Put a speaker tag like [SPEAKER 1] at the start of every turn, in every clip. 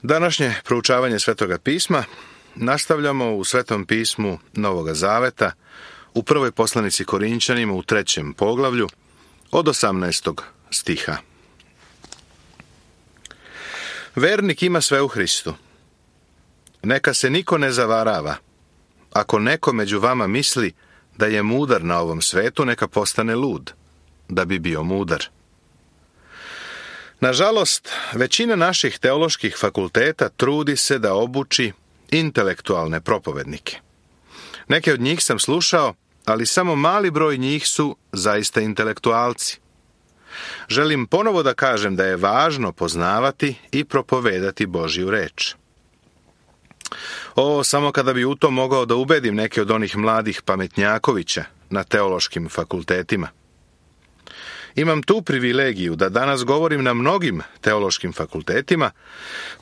[SPEAKER 1] Današnje proučavanje Svetoga pisma nastavljamo u Svetom pismu Novoga Zaveta, u prvoj poslanici Korinćanima u 3. poglavlju od 18. stiha. Vernik ima sve u Hristu. Neka se niko ne zavarava. Ako neko među vama misli da je mudar na ovom svetu, neka postane lud, da bi bio mudar. Nažalost, većina naših teoloških fakulteta trudi se da obuči intelektualne propovednike. Neke od njih sam slušao, ali samo mali broj njih su zaista intelektualci. Želim ponovo da kažem da je važno poznavati i propovedati Božju reč. Samo kada bi u to mogao da ubedim neke od onih mladih pametnjakovića na teološkim fakultetima. Imam tu privilegiju da danas govorim na mnogim teološkim fakultetima,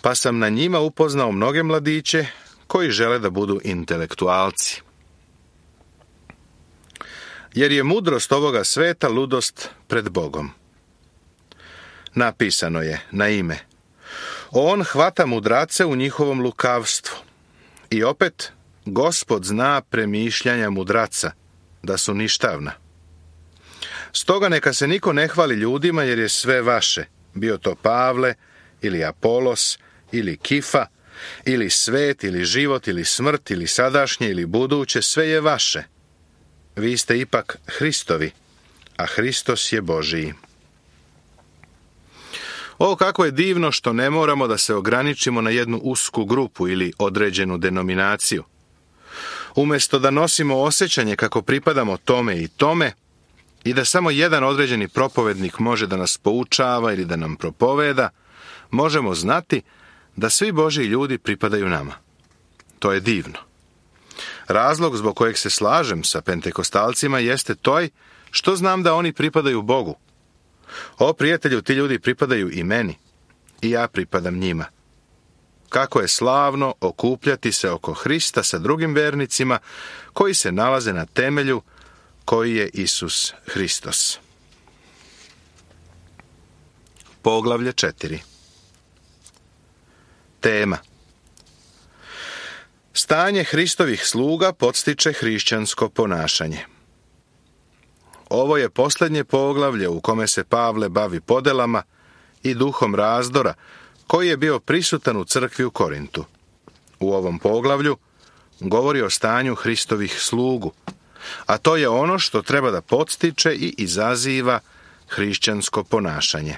[SPEAKER 1] pa sam na njima upoznao mnoge mladiće koji žele da budu intelektualci. Jer je mudrost ovoga sveta ludost pred Bogom. Napisano je na ime: On hvata mudrace u njihovom lukavstvu. I opet, Gospod zna premišljanja mudraca, da su ništavna. Stoga neka se niko ne hvali ljudima, jer je sve vaše, bio to Pavle, ili Apolos, ili Kifa, ili svet, ili život, ili smrt, ili sadašnje, ili buduće, sve je vaše. Vi ste ipak Hristovi, a Hristos je Božiji. Kako je divno što ne moramo da se ograničimo na jednu usku grupu ili određenu denominaciju. Umjesto da nosimo osjećanje kako pripadamo tome i tome, i da samo jedan određeni propovednik može da nas poučava ili da nam propoveda, možemo znati da svi Božji ljudi pripadaju nama. To je divno. Razlog zbog kojeg se slažem sa pentekostalcima jeste toj što znam da oni pripadaju Bogu. Prijatelju, ti ljudi pripadaju i meni, i ja pripadam njima. Kako je slavno okupljati se oko Hrista sa drugim vernicima koji se nalaze na temelju koji je Isus Hristos. Poglavlje 4. Tema: Stanje Hristovih sluga podstiče hrišćansko ponašanje. Ovo je posljednje poglavlje u kome se Pavle bavi podelama i duhom razdora koji je bio prisutan u crkvi u Korintu. U ovom poglavlju govori o stanju Hristovih slugu, a to je ono što treba da podstiče i izaziva hrišćansko ponašanje.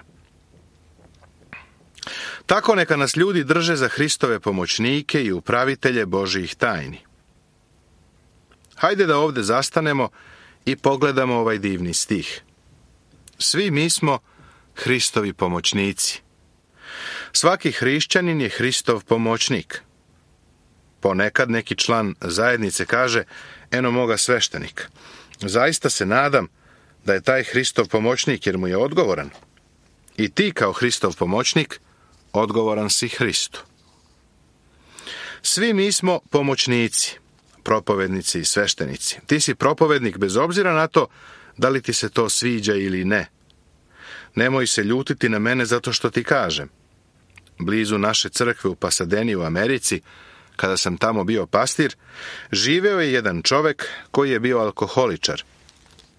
[SPEAKER 1] Tako neka nas ljudi drže za Hristove pomoćnike i upravitelje Božjih tajni. Hajde da ovdje zastanemo i pogledamo ovaj divni stih. Svi mi smo Hristovi pomoćnici. Svaki hrišćanin je Hristov pomoćnik. Ponekad neki član zajednice kaže: eno moga sveštenika. Zaista se nadam da je taj Hristov pomoćnik, jer mu je odgovoran. I ti kao Hristov pomoćnik odgovoran si Hristu. Svi mi smo pomoćnici, propovednici i sveštenici. Ti si propovednik bez obzira na to da li ti se to sviđa ili ne. Nemoj se ljutiti na mene zato što ti kažem. Blizu naše crkve u Pasadeni u Americi, kada sam tamo bio pastir, živeo je jedan čovek koji je bio alkoholičar,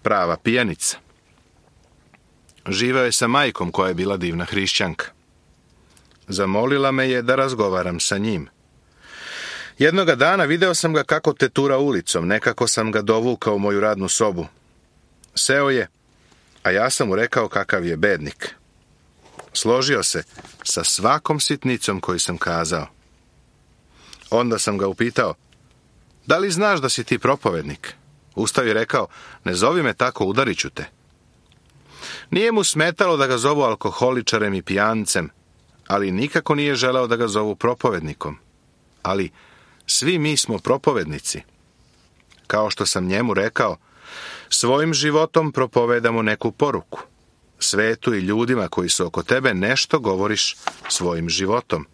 [SPEAKER 1] prava pijanica. Živeo je sa majkom koja je bila divna hrišćanka. Zamolila me je da razgovaram sa njim. Jednoga dana video sam ga kako tetura ulicom, nekako sam ga dovukao u moju radnu sobu. Seo je, a ja sam mu rekao kakav je bednik. Složio se sa svakom sitnicom koju sam kazao. Onda sam ga upitao: da li znaš da si ti propovednik? Ustao i rekao: ne zovi me tako, udarit ću te. Nije mu smetalo da ga zovu alkoholičarem i pijancem, ali nikako nije želeo da ga zovu propovednikom. Ali svi mi smo propovednici. Kao što sam njemu rekao, svojim životom propovedamo neku poruku. Svetu i ljudima koji su oko tebe nešto govoriš svojim životom.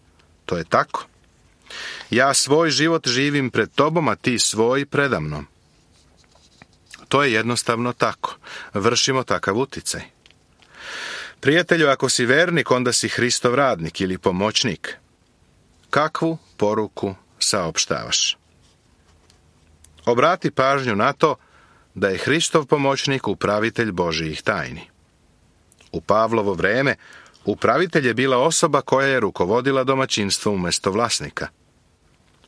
[SPEAKER 1] To je tako. Ja svoj život živim pred tobom, a ti svoj predamnom. To je jednostavno tako. Vršimo takav uticaj. Prijatelju, ako si vernik, onda si Hristov radnik ili pomoćnik. kakvu poruku saopštavaš. Obrati pažnju na to da je Hristov pomoćnik upravitelj Božijih tajni. U Pavlovo vreme upravitelj je bila osoba koja je rukovodila domaćinstvom umjesto vlasnika.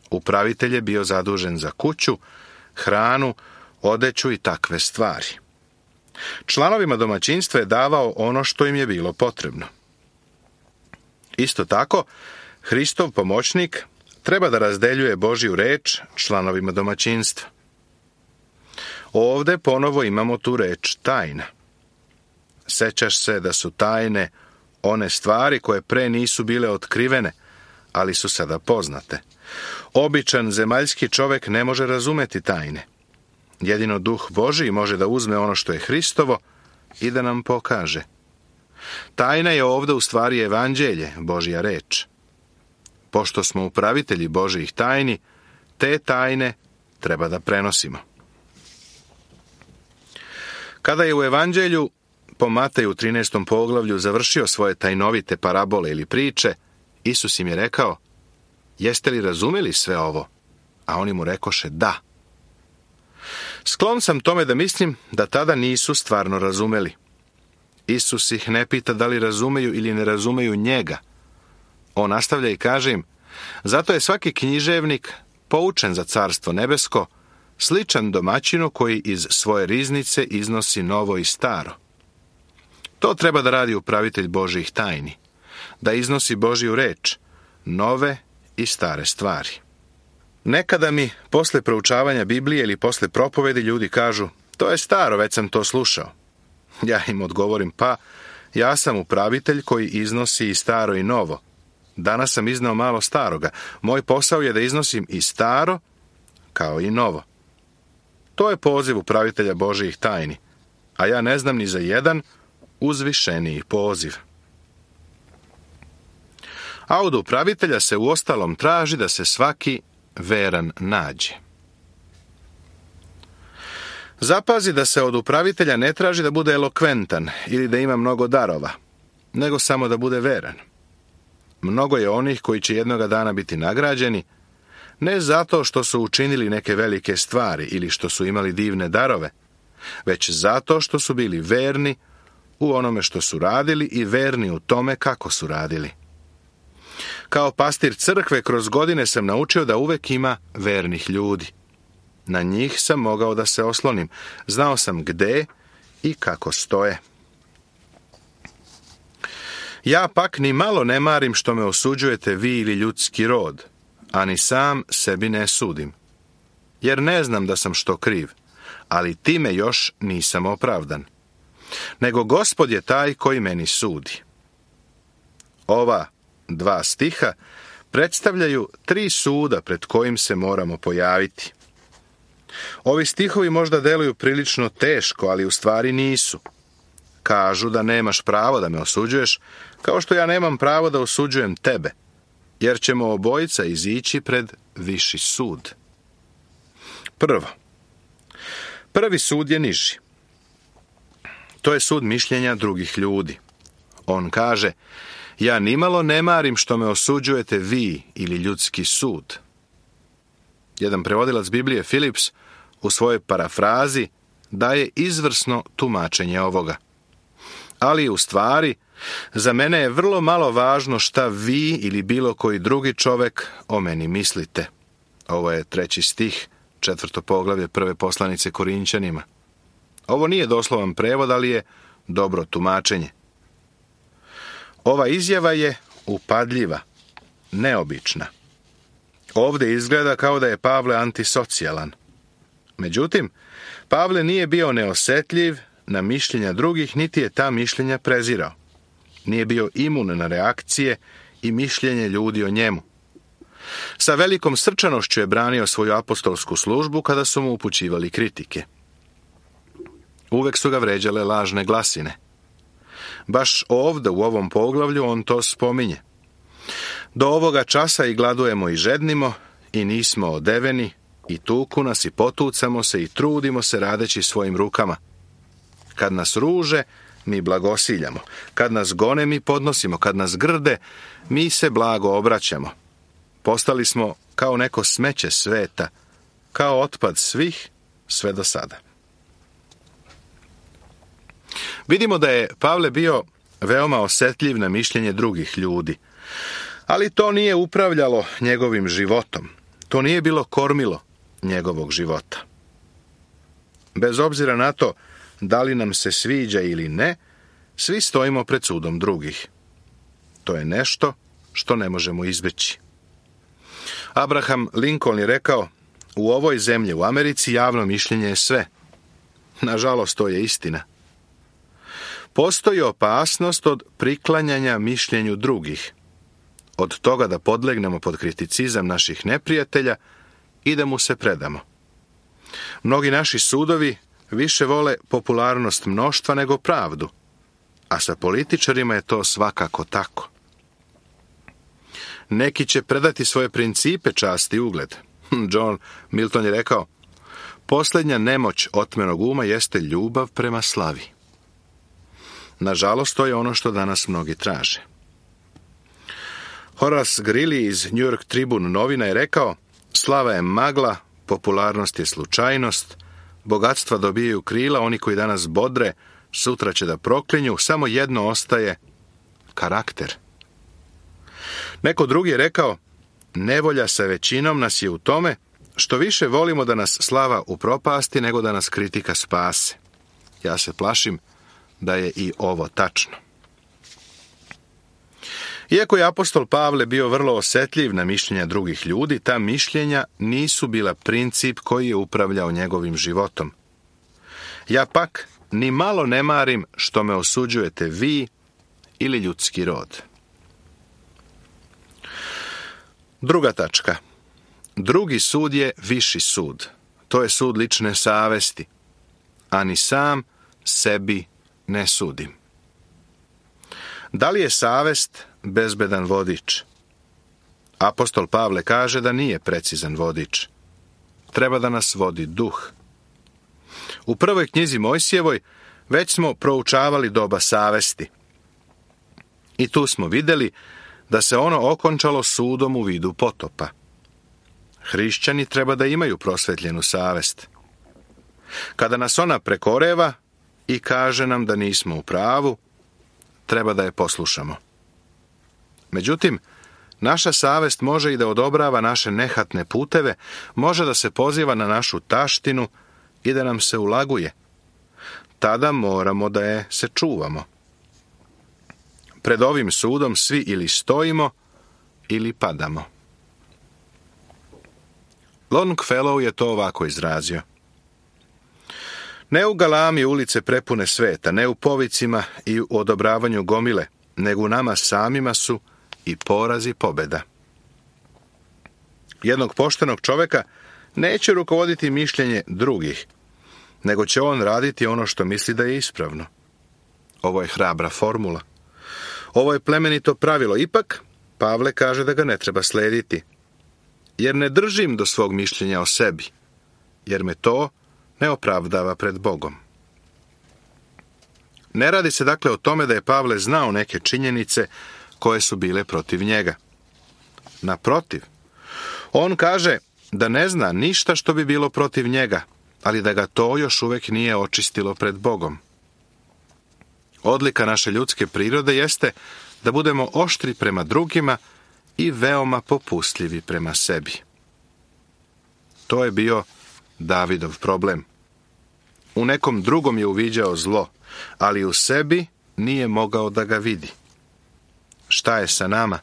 [SPEAKER 1] Upravitelj je bio zadužen za kuću, hranu, odeću i takve stvari. Članovima domaćinstva je davao ono što im je bilo potrebno. Isto tako, Hristov pomoćnik treba da razdeljuje Božju reč članovima domaćinstva. Ovde ponovo imamo tu reč tajna. Sećaš se da su tajne one stvari koje pre nisu bile otkrivene, ali su sada poznate. Običan zemaljski čovek ne može razumeti tajne. Jedino Duh Božji može da uzme ono što je Hristovo i da nam pokaže. Tajna je ovde u stvari evanđelje, Božja reč. Pošto smo upravitelji Božjih tajni, te tajne treba da prenosimo. Kada je u evanđelju po Mateju 13. poglavlju završio svoje tajnovite parabole ili priče, Isus im je rekao: jeste li razumeli sve ovo? A oni mu rekoše da. Sklon sam tome da mislim da tada nisu stvarno razumeli. Isus ih ne pita da li razumeju ili ne razumeju njega. On nastavlja i kaže im: zato je svaki književnik poučen za carstvo nebesko, sličan domaćinu koji iz svoje riznice iznosi novo i staro. To treba da radi upravitelj Božjih tajni, da iznosi Božju reč, nove i stare stvari. Nekada mi, posle proučavanja Biblije ili posle propovedi, ljudi kažu: to je staro, već sam to slušao. Ja im odgovorim: pa, ja sam upravitelj koji iznosi i staro i novo. Danas sam izneo malo staroga. Moj posao je da iznosim i staro, kao i novo. To je poziv upravitelja Božjih tajni, a ja ne znam ni za jedan uzvišeniji poziv. A od upravitelja se uostalom traži da se svaki veran nađe. Zapazi da se od upravitelja ne traži da bude elokventan ili da ima mnogo darova, nego samo da bude veran. Mnogo je onih koji će jednoga dana biti nagrađeni, ne zato što su učinili neke velike stvari ili što su imali divne darove, već zato što su bili verni u onome što su radili i verni u tome kako su radili. Kao pastir crkve kroz godine sam naučio da uvek ima vernih ljudi. Na njih sam mogao da se oslonim. Znao sam gde i kako stoje. Ja pak ni malo ne marim što me osuđujete vi ili ljudski rod, a ni sam sebi ne sudim. Jer ne znam da sam što kriv, ali time još nisam opravdan. Nego Gospod je taj koji meni sudi. Ova 2 stiha predstavljaju 3 suda pred kojim se moramo pojaviti. Ovi stihovi možda deluju prilično teško, ali u stvari nisu. Kažu da nemaš pravo da me osuđuješ, kao što ja nemam pravo da osuđujem tebe, jer ćemo obojica izići pred viši sud. Prvi sud je niži. To je sud mišljenja drugih ljudi. On kaže: ja nimalo ne marim što me osuđujete vi ili ljudski sud. Jedan prevodilac Biblije, Philips, u svojoj parafrazi daje izvrsno tumačenje ovoga. Ali u stvari, za mene je vrlo malo važno šta vi ili bilo koji drugi čovek o meni mislite. Ovo je 3. stih, 4. poglavlje 1. poslanice Korinćanima. Ovo nije doslovan prevod, ali je dobro tumačenje. Ova izjava je upadljiva, neobična. Ovde izgleda kao da je Pavle antisocijalan. Međutim, Pavle nije bio neosetljiv na mišljenja drugih, niti je ta mišljenja prezirao. Nije bio imun na reakcije i mišljenje ljudi o njemu. Sa velikom srčanošću je branio svoju apostolsku službu kada su mu upućivali kritike. Uvek su ga vređale lažne glasine. Baš ovde u ovom poglavlju on to spominje. Do ovoga časa i gladujemo i žednimo, i nismo odeveni, i tuku nas i potucamo se i trudimo se radeći svojim rukama. Kad nas ruže, mi blagosiljamo. Kad nas gone, mi podnosimo. Kad nas grde, mi se blago obraćamo. Postali smo kao neko smeće sveta, kao otpad svih sve do sada. Vidimo da je Pavle bio veoma osjetljiv na mišljenje drugih ljudi, ali to nije upravljalo njegovim životom. To nije bilo kormilo njegovog života. Bez obzira na to da li nam se sviđa ili ne, svi stojimo pred sudom drugih. To je nešto što ne možemo izbjeći. Abraham Lincoln je rekao, u ovoj zemlji, u Americi, javno mišljenje je sve. Nažalost, to je istina. Postoji opasnost od priklanjanja mišljenju drugih, od toga da podlegnemo pod kriticizam naših neprijatelja i da mu se predamo. Mnogi naši sudovi više vole popularnost mnoštva nego pravdu, a sa političarima je to svakako tako. Neki će predati svoje principe, čast i ugled. John Milton je rekao, posljednja nemoć otmenog uma jeste ljubav prema slavi. Nažalost, to je ono što danas mnogi traže. Horace Greeley iz New York Tribune novina je rekao, slava je magla, popularnost je slučajnost, bogatstva dobijaju krila, oni koji danas bodre, sutra će da proklinju, samo jedno ostaje, karakter. Neko drugi je rekao, nevolja sa većinom nas je u tome što više volimo da nas slava upropasti nego da nas kritika spase. Ja se plašim da je i ovo tačno. Iako je apostol Pavle bio vrlo osjetljiv na mišljenja drugih ljudi, ta mišljenja nisu bila princip koji je upravljao njegovim životom. Ja pak ni malo ne marim što me osuđujete vi ili ljudski rod. Druga tačka. Drugi sud je viši sud. To je sud lične savesti, a ni sam sebi ne sudim. Da li je savest bezbedan vodič? Apostol Pavle kaže da nije precizan vodič. Treba da nas vodi duh. U prvoj knjizi Mojsijevoj već smo proučavali doba savesti. I tu smo vidjeli da se ono okončalo sudom u vidu potopa. Hrišćani treba da imaju prosvetljenu savest. Kada nas ona prekoreva i kaže nam da nismo u pravu, treba da je poslušamo. Međutim, naša savest može i da odobrava naše nehatne puteve, može da se poziva na našu taštinu i da nam se ulaguje. Tada moramo da je se čuvamo. Pred ovim sudom svi ili stojimo ili padamo. Longfellow je to ovako izrazio. Ne u galami ulice prepune sveta, ne u povicima i u odobravanju gomile, nego u nama samima su i poraz i pobjeda. Jednog poštenog čovjeka neće rukovoditi mišljenje drugih, nego će on raditi ono što misli da je ispravno. Ovo je hrabra formula. Ovo je plemenito pravilo. Ipak, Pavle kaže da ga ne treba slediti, jer ne držim do svog mišljenja o sebi, jer me to ne opravdava pred Bogom. Ne radi se dakle o tome da je Pavle znao neke činjenice koje su bile protiv njega. Naprotiv, on kaže da ne zna ništa što bi bilo protiv njega, ali da ga to još uvijek nije očistilo pred Bogom. Odlika naše ljudske prirode jeste da budemo oštri prema drugima i veoma popustljivi prema sebi. To je bio Davidov problem. U nekom drugom je uviđao zlo, ali u sebi nije mogao da ga vidi. Šta je sa nama?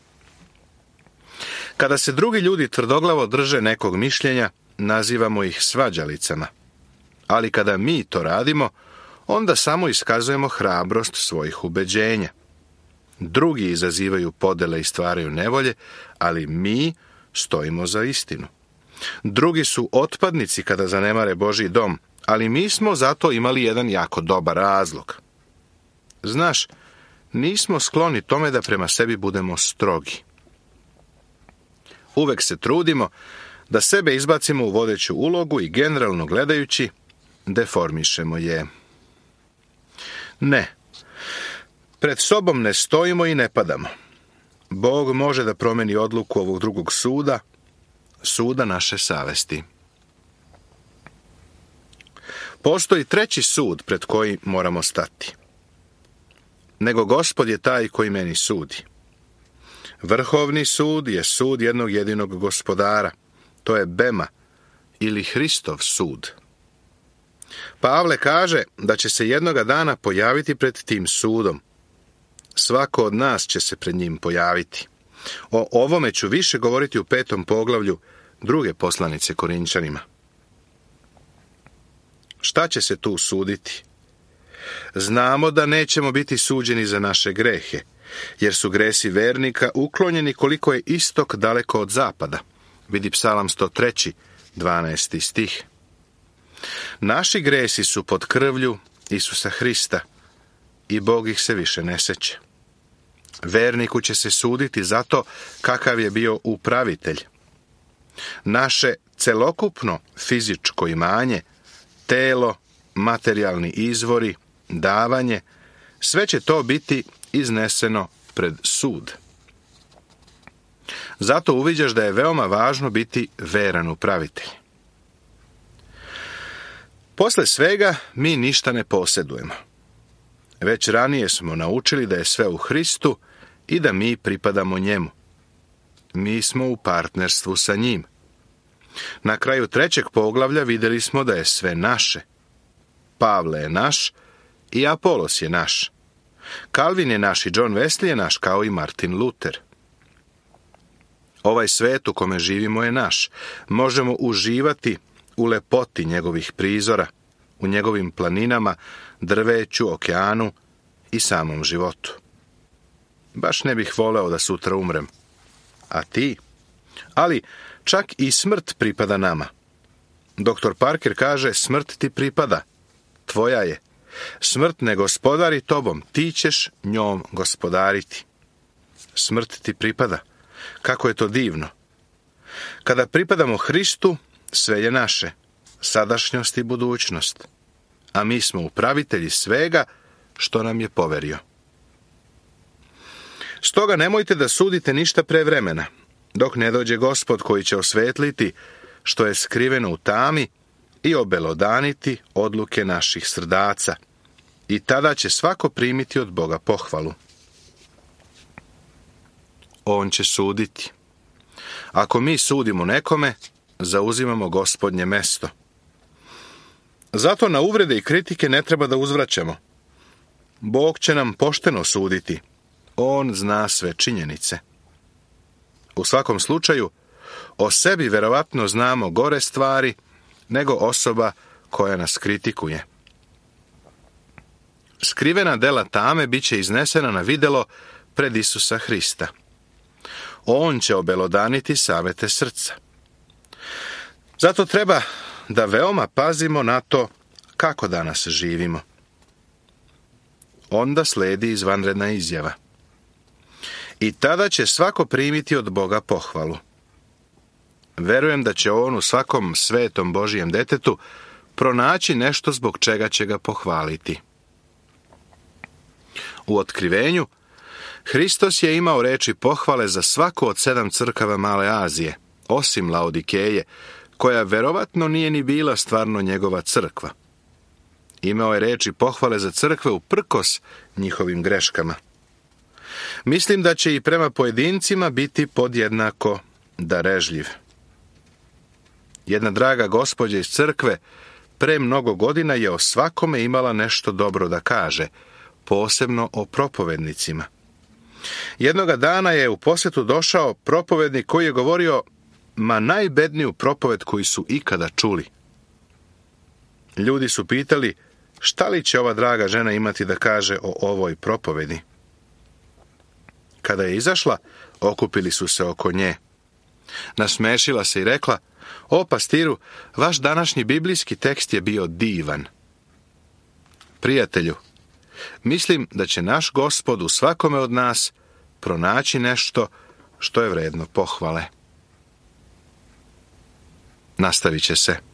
[SPEAKER 1] Kada se drugi ljudi tvrdoglavo drže nekog mišljenja, nazivamo ih svađalicama. Ali kada mi to radimo, onda samo iskazujemo hrabrost svojih ubeđenja. Drugi izazivaju podele i stvaraju nevolje, ali mi stojimo za istinu. Drugi su otpadnici kada zanemare Božji dom, ali mi smo zato imali jedan jako dobar razlog. Znaš, nismo skloni tome da prema sebi budemo strogi. Uvek se trudimo da sebe izbacimo u vodeću ulogu i generalno gledajući deformišemo je. Ne. Pred sobom ne stojimo i ne padamo. Bog može da promeni odluku ovog drugog suda, suda naše savesti. Postoji treći sud pred koji moramo stati. Nego Gospod je taj koji meni sudi. Vrhovni sud je sud jednog jedinog gospodara. To je Bema ili Hristov sud. Pavle kaže da će se jednoga dana pojaviti pred tim sudom. Svako od nas će se pred njim pojaviti. O ovome ću više govoriti u 5. poglavlju druge poslanice Korinčanima. Šta će se tu suditi? Znamo da nećemo biti suđeni za naše grehe, jer su gresi vernika uklonjeni koliko je istok daleko od zapada. Vidi Psalam 103, 12. stih. Naši gresi su pod krvlju Isusa Hrista i Bog ih se više ne seća. Verniku će se suditi zato kakav je bio upravitelj. Naše celokupno fizičko imanje, telo, materijalni izvori, davanje, sve će to biti izneseno pred sud. Zato uviđaš da je veoma važno biti veran upravitelj. Posle svega mi ništa ne posjedujemo. Već ranije smo naučili da je sve u Hristu i da mi pripadamo njemu. Mi smo u partnerstvu sa njim. Na kraju 3. poglavlja vidjeli smo da je sve naše. Pavle je naš i Apolos je naš. Kalvin je naš i John Wesley je naš kao i Martin Luther. Ovaj svet u kome živimo je naš. Možemo uživati u lepoti njegovih prizora, u njegovim planinama, drveću, okeanu i samom životu. Baš ne bih voleo da sutra umrem. A ti? Ali čak i smrt pripada nama. Dr. Parker kaže, smrt ti pripada. Tvoja je. Smrt ne gospodari tobom, ti ćeš njom gospodariti. Smrt ti pripada. Kako je to divno. Kada pripadamo Hristu, sve je naše, sadašnjost i budućnost. A mi smo upravitelji svega što nam je poverio. Stoga nemojte da sudite ništa pre vremena, dok ne dođe Gospod koji će osvetliti što je skriveno u tami i obelodaniti odluke naših srdaca. I tada će svako primiti od Boga pohvalu. On će suditi. Ako mi sudimo nekome, zauzimamo Gospodnje mesto. Zato na uvrede i kritike ne treba da uzvraćamo. Bog će nam pošteno suditi. On zna sve činjenice. U svakom slučaju, o sebi verovatno znamo gore stvari nego osoba koja nas kritikuje. Skrivena dela tame bit će iznesena na videlo pred Isusa Hrista. On će obelodaniti savete srca. Zato treba da veoma pazimo na to kako danas živimo. Onda sledi izvanredna izjava. I tada će svako primiti od Boga pohvalu. Verujem da će on u svakom svetom Božijem detetu pronaći nešto zbog čega će ga pohvaliti. U otkrivenju, Hristos je imao reči pohvale za svaku od 7 crkava Male Azije, osim Laodikeje, koja verovatno nije ni bila stvarno njegova crkva. Imao je reči pohvale za crkve uprkos njihovim greškama. Mislim da će i prema pojedincima biti podjednako darežljiv. Jedna draga gospođa iz crkve pre mnogo godina je o svakome imala nešto dobro da kaže, posebno o propovednicima. Jednoga dana je u posjetu došao propovednik koji je govorio najbedniju propoved koju su ikada čuli. Ljudi su pitali šta li će ova draga žena imati da kaže o ovoj propovedi. Kada je izašla, okupili su se oko nje. Nasmešila se i rekla, o pastiru, vaš današnji biblijski tekst je bio divan. Prijatelju, mislim da će naš Gospod u svakome od nas pronaći nešto što je vredno pohvale. Nastavit će se.